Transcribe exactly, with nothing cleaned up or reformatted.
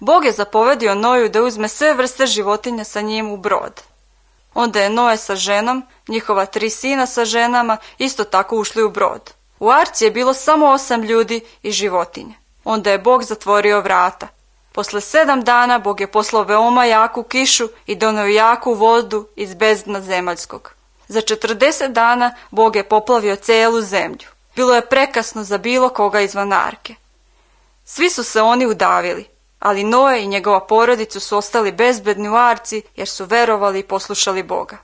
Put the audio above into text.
Bog je zapovedio Noju da uzme sve vrste životinja sa njim u brod. Onda je Noe sa ženom, njihova tri sina sa ženama, isto tako ušli u brod. U arci je bilo samo osam ljudi i životinje. Onda je Bog zatvorio vrata. Posle sedam dana Bog je poslao veoma jaku kišu i doneo jaku vodu iz bezdna zemaljskog. Za četrdeset dana Bog je poplavio celu zemlju. Bilo je prekasno za bilo koga izvan arke. Svi su se oni udavili, ali Noe i njegova porodica su ostali bezbedni u arci jer su verovali i poslušali Boga.